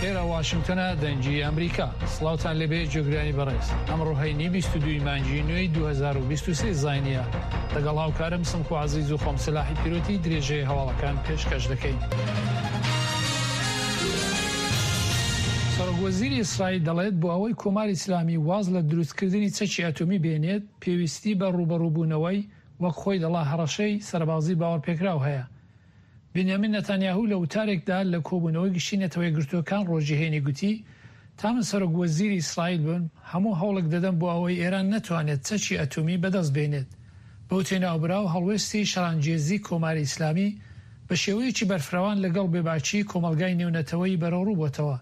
ئێرە واشنگتنە دەنگی ئەمریکا سڵاوتان لێبێ جێگرانی بەڕێز ئەمڕۆ هەینی 22 مانگی نوێی 2023 زینیە لەگەڵ هاوکارم سمکو عزیز و خۆم سلاحی پیرۆتی درێژەی هەواڵەکان پێشکەش دەکەین. سەرۆک وەزیری ئیسرائیل دەڵێت بۆ ئەوەی کۆماری ئیسلامی واز لە دروستکردنی چەکی ئەتۆمی بێنێت پێویستی بە ڕووبەڕووبوونەوەی وەک خۆی دەڵا هەڕەشەی سەربازی باوەڕپێکراو هەیە. بنیامین نەتانیاهو لە وتارێکدا لە کۆبوونەوەی گشتی نەتەوە یەکگرتووەکان ڕۆژی هەینی گوتی، تا من سەرۆک وەزیری ئیسرائیل بم، هەموو هەوڵێک دەدەم بۆ ئەوەی ئێران نەتوانێت چەکی ئەتۆمی بەدەست بێنێت. بەوتەی ناوبراو، هەڵوێستی شەڕانگێزی کۆماری ئیسلامی بە شێوەیەکی بەرفرەوان لەگەڵ بێباکیی کۆمەڵگای نێونەتەوەیی بەرەوڕوو بۆتەوە.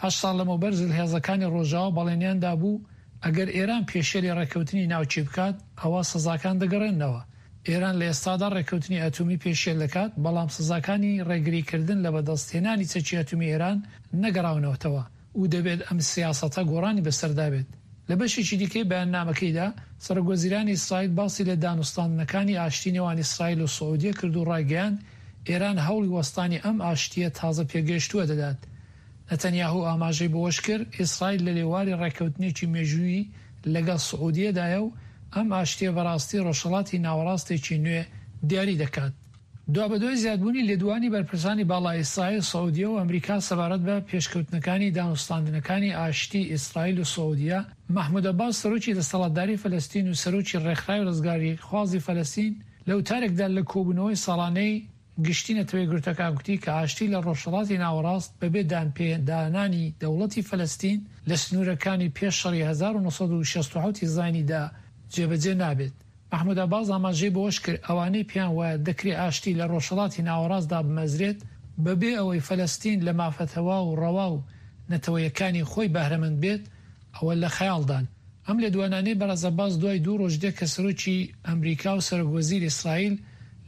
هەشت ساڵ لەمەوبەر زلهێزەکانی ڕۆژاوا بەڵێنیان دابوو ئەگەر ئێران پێشێلی ڕێککەوتنی ناوکی بکات، ئەوا سزاکان دەگەڕێننەوە. ئێران لە ئێستادا ڕێککەوتنی ئەتۆمی پێشێل دەکات، بەڵام سزاکانی ڕێگریکردن لە بەدەستهێنانی چەکی ئەتۆمی ئێران نەگەڕاونەوەتەوە و دەبێت ئەم سیاسەتە گۆڕانی بەسەردا بێت. لە بەشێکی دیکەی بەیاننامەکەیدا، سەرۆکوەزیرانی ئیسرائیل باسی لە دانوستاندنەکانی ئاشتی نێوان ئیسرائیل و سعودیە کرد و ڕایگەیاند، ئێران هەوڵی وەستانی ئەم ئاشتییە تازە پێگەیشتووە دەدات. نەتەنیاهو ئاماژەی بەوەشکرد، ئیسرائیل لە لێواری ڕێککەوتنێکی مێژوویی لەگەڵ سعودیەدایە و ئەم ئاشتییە بەڕاستی ڕۆژهەڵاتی ناوەڕاستێکی نوێ دیاری دەکات. دوابەدوای زیادبوونی لێدوانی بەرپرسانی باڵای ئیسرائیل، سعودیە و ئەمریکا سەبارەت بە پێشکەوتنەکانی دانوستاندنەکانی ئاشتی ئیسرائیل و سعودیە، مەحمود عەباس سەرۆکی دەسەڵاتداری فەلەستین و سەرۆکی ڕێکخراوی ڕزگاریخوازی فەلەستین لە وتارێکدا لە کۆبوونەوەی ساڵانەی گشتی نەتەوەیەکگرتووەکان گوتی کە ئاشتی لە ڕۆژهەڵاتی ناوەڕاست بەبێ دانپێدانانی دەوڵەتی فەلەستین لە سنوورەکانی پێش شەڕی 1967 ی زاینیدا جێبەجێ نابێت. مەحمود عەباس ئاماژەی بەوەشکرد، ئەوانەی پێیان وایە دەکرێ ئاشتی لە ڕۆژهەڵاتی ناوەڕاستدا بمەزرێت بەبێ ئەوەی فەلەستین لە مافە تەواو و ڕەوا و نەتەوەیەکانی خۆی بەهرەمەند بێت، ئەوە لە خەیاڵدان. ئەم لێدوانانەی بەڕێز عەباس دوای دوو ڕۆژ دێت کە سەرۆکی ئەمریکا و سەرۆک وەزیری ئیسرائیل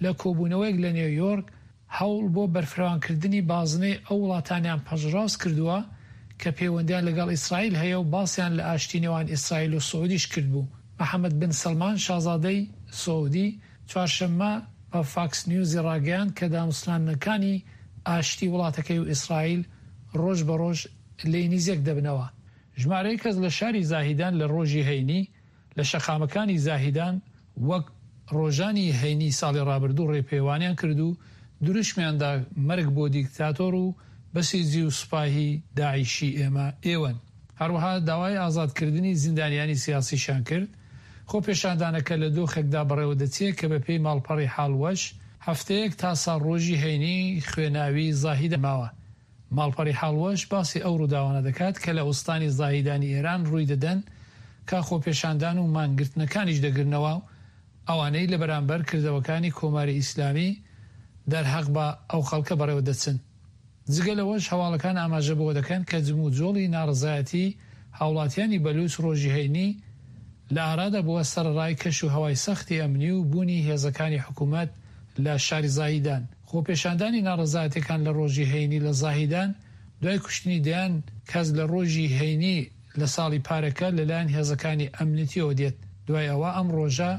لە کۆبوونەوەیەک لە نیۆیۆرک هەوڵ بۆ بەرفراوانکردنی بازنەی ئەو وڵاتانەیان پەژڕاست کردووە کە پەیوەندیان لەگەڵ ئیسرائیل هەیە و باسیان لە ئاشتی نێوان ئیسرائیل و سعودیش کردبوو. محەمەد بن سەلمان شازادەی سعودی چوارشەممە بە فاکس نیوزی ڕاگەیاند کە دانوستاندنەکانی ئاشتی وڵاتەکەی و ئیسرائیل ڕۆژ بە ڕۆژ لێی نیزێک دەبنەوە. ژمارەیەک کەس لە شاری زاهیدان لە ڕۆژی هەینی لە شەقامەکانی زاهیدان وەک ڕۆژانی هەینی ساڵی ڕابردوو ڕێپێوانیان کرد و دروشمیان دا مەرگ بۆ دیکتاتۆر و بەسیجی و سوپاهی داعشی ئێمە ئێوەن. هەروەها داوای ئازادکردنی زیندانیانی سیاسیشیان کرد. خۆپێشاندانەکە لە دۆخێکدا بەڕێوەدەچێ کە بەپێی ماڵپەڕی حاڵ وەش، هەفتەیەک تا ساڵڕۆژی هەینی خوێناوی زاهیدان ماوە. ماڵپەڕی حاڵوەش باسی ئەو ڕووداوانە دەکات کە لە ئوستانی زاهیدانی ئێران ڕووی دەدەن کە خۆپێشاندان و مانگرتنەکانیش دەگرنەوە و ئەوانەی لە بەرامبەر کردەوەکانی کۆماری ئیسلامی دەرهەق بە ئەو خەڵکە بەڕێوە دەچن. جگە لەوەش هەواڵەکان ئاماژە بەوە دەکەن کە جموجۆڵی ناڕەزایەتی هاوڵاتیانی بەلوچ ڕۆژی هەینی لە ئارادا بووە سەرەڕای کەش و هەوای سەختی ئەمنی و بوونی هێزەکانی حکوومەت لە شاری زاهیدان. خۆپێشاندانی ناڕەزایەتیەکان لە ڕۆژی هەینی لە زاهیدان دوای کوشتنی دەیان کەس لە ڕۆژی هەینی لە ساڵی پارەکە لەلایەن هێزەکانی ئەمنیتیەوە دێت، دوای ئەوە ئەم ڕۆژە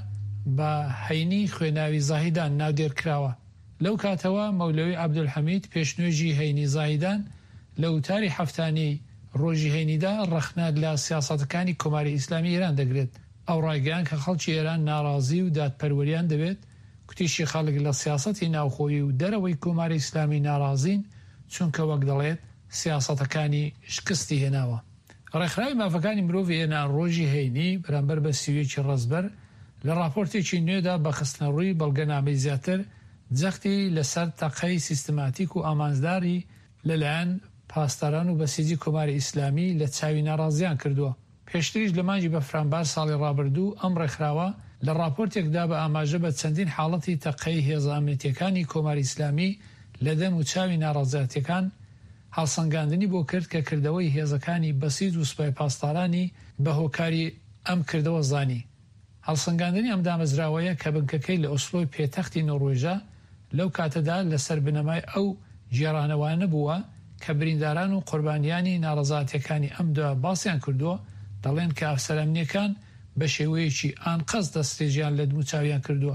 بە هەینی خوێناوی زاهیدان ناودێر کراوە. لەو کاتەوە مەولەوی عەبدولحەمید پێشنوێژی هەینی زاهیدان لە وتاری هەفتانەی ڕۆژی هەینیدا ڕەخنە لە سیاسەتەکانی کۆماری ئیسلامی ئێران دەگرێت. ئەو ڕایگەیاند کە خەڵکی ئێران ناڕازی و دادپەروەریان دەوێت، کوتیشی خەڵک لە سیاسەتی ناوخۆیی و دەرەوەی کۆماری ئیسلامی ناڕازین، چونکە وەک دەڵێت سیاسەتەکانی شکستی هێناوە. ڕێکخراوی مافەکانی مرۆڤی ئێران ڕۆژی هەینی بەرامبەر بە 31 ی ڕەزبەر لە ڕاپۆرتێکی نوێدا بە خستنەڕووی بەڵگەنامەی زیاتر جەختی لەسەر تەقەی سیستماتیک و ئامانجداری لەلایەن پاسداران و بەسیجی کۆماری ئیسلامی لە چاوی ناڕازیان کردووە. پێشتریش لە مانگی بەفرانبار ساڵی ڕابردوو ئەم ڕێکخراوە لە ڕاپۆرتێکدا بە ئاماژە بە چەندین حاڵەتی تەقەی هێزە ئەمنیتییەکانی کۆماری ئیسلامی لە دەم و چاوی ناڕەزایەتییەکان هەڵسەنگاندنی بۆ کرد کە کردەوەی هێزەکانی بەسیج و سوپای پاسدارانی بە هۆکاری ئەم کردەوە زانی. هەڵسەنگاندنی ئەم دامەزراوەیە کە بنکەکەی لە ئۆسلۆی پێتەختی نۆروێژە، لەو کاتەدا لەسەر بنەمای ئەو گێڕانەوانە بووە کە برینداران و قوربانیانی ناڕەزایەتیەکانی ئەم دوا باسیان کردووە، دەڵێن کە ئەفسەرە ئەمنیەکان بە شێوەیەکی ئانقەست دەسترێژیان لە دموچاویان کردووە.